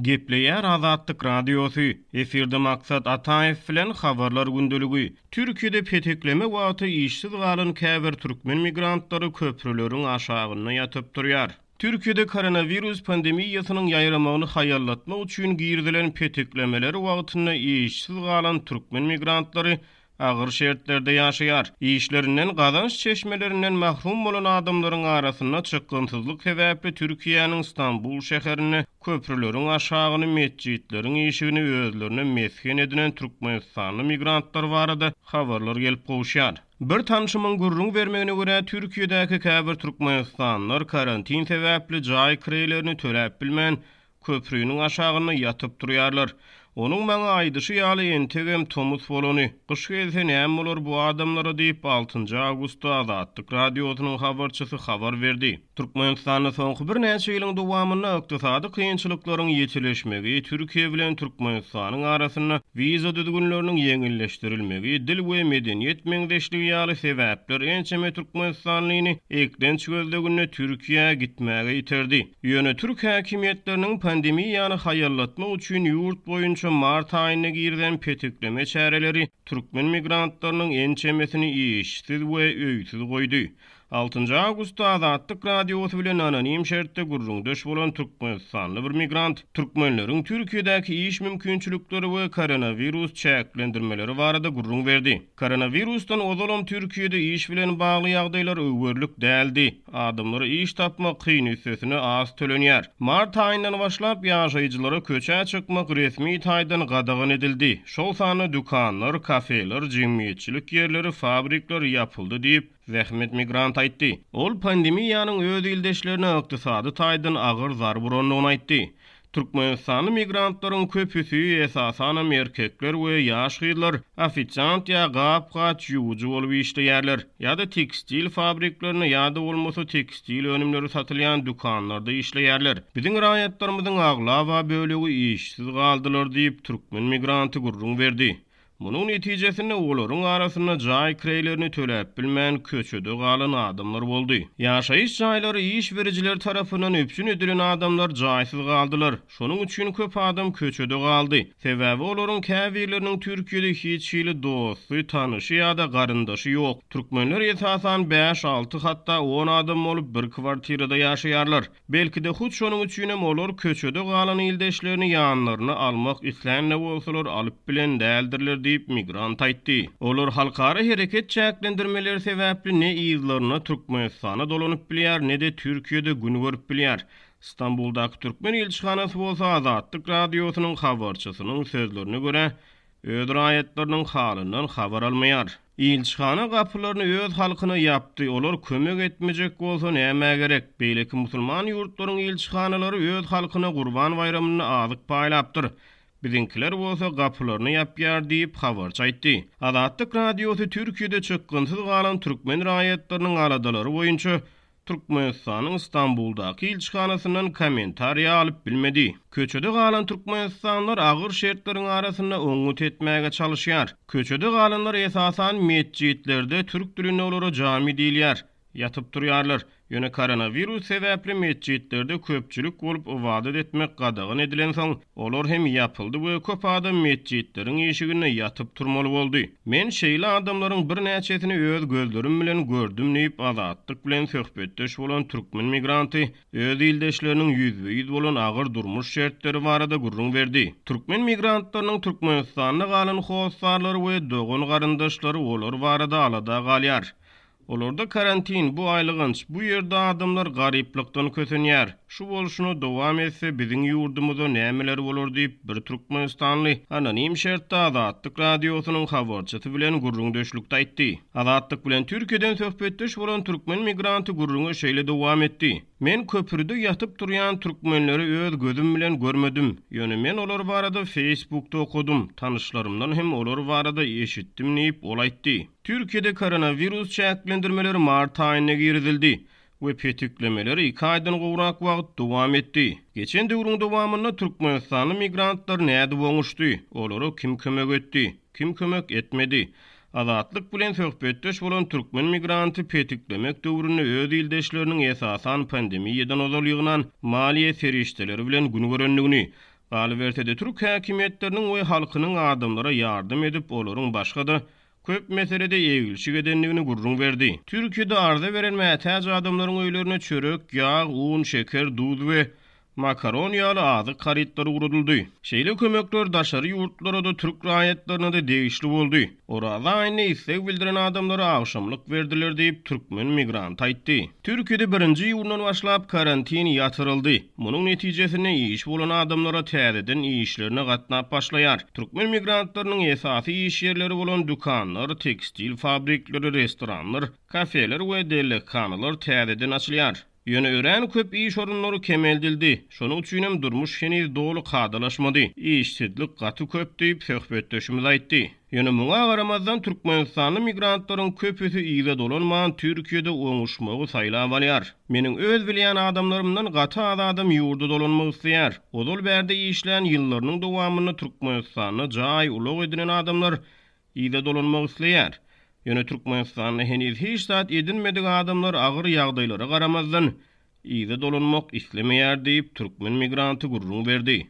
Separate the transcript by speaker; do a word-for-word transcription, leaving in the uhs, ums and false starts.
Speaker 1: Gepleýär Azatlyk Radiosy, efirde Maksat Ataýew bilen Habarlar gündeligi. Türkiýede petekleme wagty işsiz galan käbir türkmen migrantlary köprüleriň aşagynda ýatyp turýar. Türkiýede koronawirus pandemiýasynyň ýaýramagyny haýallatmak üçin girizilen peteklemeler wagtynda işsiz galan türkmen migrantlary agyr şertlerde ýaşaýar. Işlerinden, gazanç çeşmelerinden mahrum bolan adamlaryň arasynda çykgynsyzlyk sebäpli Türkiýäniň Stambul şäherinde köprüleriň aşagyny, metjitleriň işigini özlerine mesgen edinen türkmenistanly migrantlar barada habarlar gelip gowuşýar. Bir tanşymyň gürrüň bermegine görä, Türkiýedäki käbir türkmenistanlylar karantin sebäpli jaý kireýlerini töläp bilmän, köprüniň aşagynda ýatyp turýarlar. Onuň maňa aýdyşy ýaly, entegem tomus bolany, gyş gelse näme bolar bu adamlara diýip, altynjy awgustda Azatlyk Radiosynyň habarçysy habar berdi. Türkmenistanda soňky birnäçe ýylyň dowamynda ykdysady kynçylyklaryň ýitileşmegi, Türkiýe bilen Türkmenistanyň arasynda wiza düzgünleriniň ýeňilleşdirilmegi, dil we medeniýet meňzeşligi ýaly sebäpler ençeme türkmenistanlyny eklenç gözleginde Türkiýä gitmäge iterdi. Ýöne türk häkimiýetleriniň pandemiýany haýallatmak üçin ýurt boýunça mart aýynda girizen petekleme çäreleri türkmen migrantlarynyň ençemesini işsiz we öýsüz goýdy. Altynjy awgustda Azatlyk Radiosy bilen anonim şertde gürrüňdeş bolan türkmenistanly bir migrant türkmenleriň Türkiýedäki iş mümkinçilikleri we koronawirus çäklendirmeleri barada gürrüň berdi. Koronawirusdan ozalam Türkiýede iş bilen bagly ýagdaýlar öwerlik däldi. Adamlara iş tapmak kyn, üstesine az tölenýär. Mart aýyndan başlap ýaşaýjylara köçä çykmak resmi taýdan gadagan edildi. Şol sanda dükanlar, kafeler, jemgyýetçilik ýerleri, fabrikler ýapyldy diýip, zähmet migrant aýtdy. Ol pandemiýanyň öz ildeşlerine ykdysady taýdan agyr zarba urandygyny aýtdy. Türkmenistanly migrantlaryň köpüsi, esasanam erkekler we ýaş gyzlar ofisiant ýa gap-gaç ýuwujy bolup işleýärler, ýa-da tekstil fabriklerinde ýa-da bolmasa tekstil önümleri satylýan dükanlarda işleýärler. Biziň raýatlarymyzyň aglaba bölegi işsiz galdylar diýip, türkmen migranty gürrüň berdi. Munuň netijesinde olaryň arasynda jaý kireýlerini töläp bilmän köçede galan adamlar boldy. Ýaşaýyş jaýlary iş berijiler tarapyndan üpjün edilen adamlar jaýsyz galdylar. Şonuň üçin köp adam köçede galdy. Sebäbi olaryň käbirleriniň Türkiýede hiç hili dosty, tanyşy ýa-da garyndaşy ýok. Türkmenler esasan bäş, alty, hatda on adam bolup bir kwartirada ýaşaýarlar. Belki-de hut şonuň üçinem olar köçede galan ildeşlerini ýanlaryna almak islän-de bolsalar alyp bilen däldirler diýip migrant aýtdy. Olar halkara hereket çäklendirmeleri sebäpli ne yzlaryna Türkmenistana dolanyp bilýär, ne-de Türkiýede gün görüp bilýär. Stambuldaky türkmen ilçihanasy bolsa Azatlyk Radiosynyň habarçysynyň sözlerine görä, öz raýatlarynyň halyndan habar almaýar. Ilçihana gapylaryny öz halkyna ýapdy, olar kömek etmejek bolsa nämä gerek? Beýleki musulman ýurtlaryň ilçihanalary öz halkyna Gurban baýramynda azyk paýlapdyr. Biziňkiler bolsa gapylaryny ýapýar diýip habarçy aýtdy. Azatlyk Radiosy Türkiýede çykgynsyz galan türkmen raýatlarynyň aladalary boýunça Türkmenistanyň Stambuldaky ilçihanasyndan kommentariýa alyp bilmedi. Köçede galan türkmenistanlylar agyr şertleriň arasynda oňňut etmäge çalyşýar. Köçede galanlar esasan metjitlerde, türk dilinde olara jami diýilýär, ýatyp durýarlar. Ýöne koronawirus sebäpli metjitlerde köpçülik bolup ybadat etmek gadagan edilensoň, olar hem ýapyldy we köp adam metjitleriň işiginde ýatyp turmaly boldy. Men şeýle adamlaryň birnäçesini öz gözlerim bilen gördüm diýip, Azatlyk bilen söhbetdeş bolan türkmen migranty öz ildeşleriniň ýüzbe-ýüz bolan agyr durmuş şertleri barada gürrüň berdi. Türkmen migrantlarynyň Türkmenistanda galan hossarlary we dogan garyndaşlary olar barada alada galýar. Olarda karantin, bu aýlyganç, bu ýerde adamlar garyplykdan kösenýär. Şu bolşuna dowam etse biziň ýurdumyza nämeler bolar diýip, bir türkmenistanly anonim şertde Azatlyk Radiosynyň habarçysy bilen gürrüňdeşlikde aýtdy. Azatlyk bilen Türkiýeden söhbetdeş bolan türkmen migranty gürrüňe şeýle dowam etdi. Men köprüde ýatyp durýan türkmenleri öz gözüm bilen görmedim. Ýöne men olar barada Facebookda okadym, tanyşlarymdan hem olar barada eşitdim diýip, ol aýtdy. Türkiýede koronawirus çäklendirmeleri mart aýynda girizildi we petiklemeleri iki aýdan gowrak wagt dowam etdi. Geçen döwrüň dowamynda türkmenistanly migrantlar nädip oňuşdy? Olara kim kömek etdi? Kim kömek etmedi? Azatlyk bilen söhbetdeş bolan türkmen migranty petiklemek döwründe öz ildeşleriniň esasan pandemiýadan ozal ýygnan maliýe serişdeleri bilen gün görendigini, Galyberse-de, türk häkimiýetleriniň we halkynyň adamlara ýardam edip, olaryň başga-da köp meselede eglişik edendigini gürrüň berdi. Türkiýede arza beren mätäç adamlaryň öýlerine çörek, ýag, un, şeker, duz we makaron ýaly azyk harytlary ugradyldy. Şeýle kömekler daşary ýurtlara-da, türk raýatlaryna-da degişli boldy. Oraza aýynda isleg bildiren adamlara agşamlyk berdiler diýip, türkmen migranty aýtdy. Türkiýede birinji iýundan başlap karantin ýatyryldy. Munuň netijesinde işi bolan adamlara täzeden işlerine gatnap başlaýar. Türkmen migrantlarynyň esasy iş ýerleri bolan dükanlar, tekstil fabrikleri, restoranlar, kafeler we dellekhanalar täzeden açylýar. Ýöne örän köp iş orunlary kemeldildi. Şonuň üçinem durmuş heniz doly kadalaşmady. Işsizlik gaty köp diýip, söhbetdeşimiz aýtdy. Ýöne muňa garamazdan, türkmenistanly migrantlaryň köpüsi yza dolanman, Türkiýede oňuşmagy saýlap alýar. Meniň öz bilýän adamlarymdan gaty az adam ýurda dolanmak isleýär. Ozal bärde işlän ýyllarynyň dowamynda Türkmenistanda jaý, ulag edinen adamlar yza dolanmak isleýär. Ýöne Türkmenistanda heniz hiç zat edinmedik adamlar agyr ýagdaýlara garamazdan, yza dolanmak islemeýär diýip, türkmen migranty gürrüň berdi.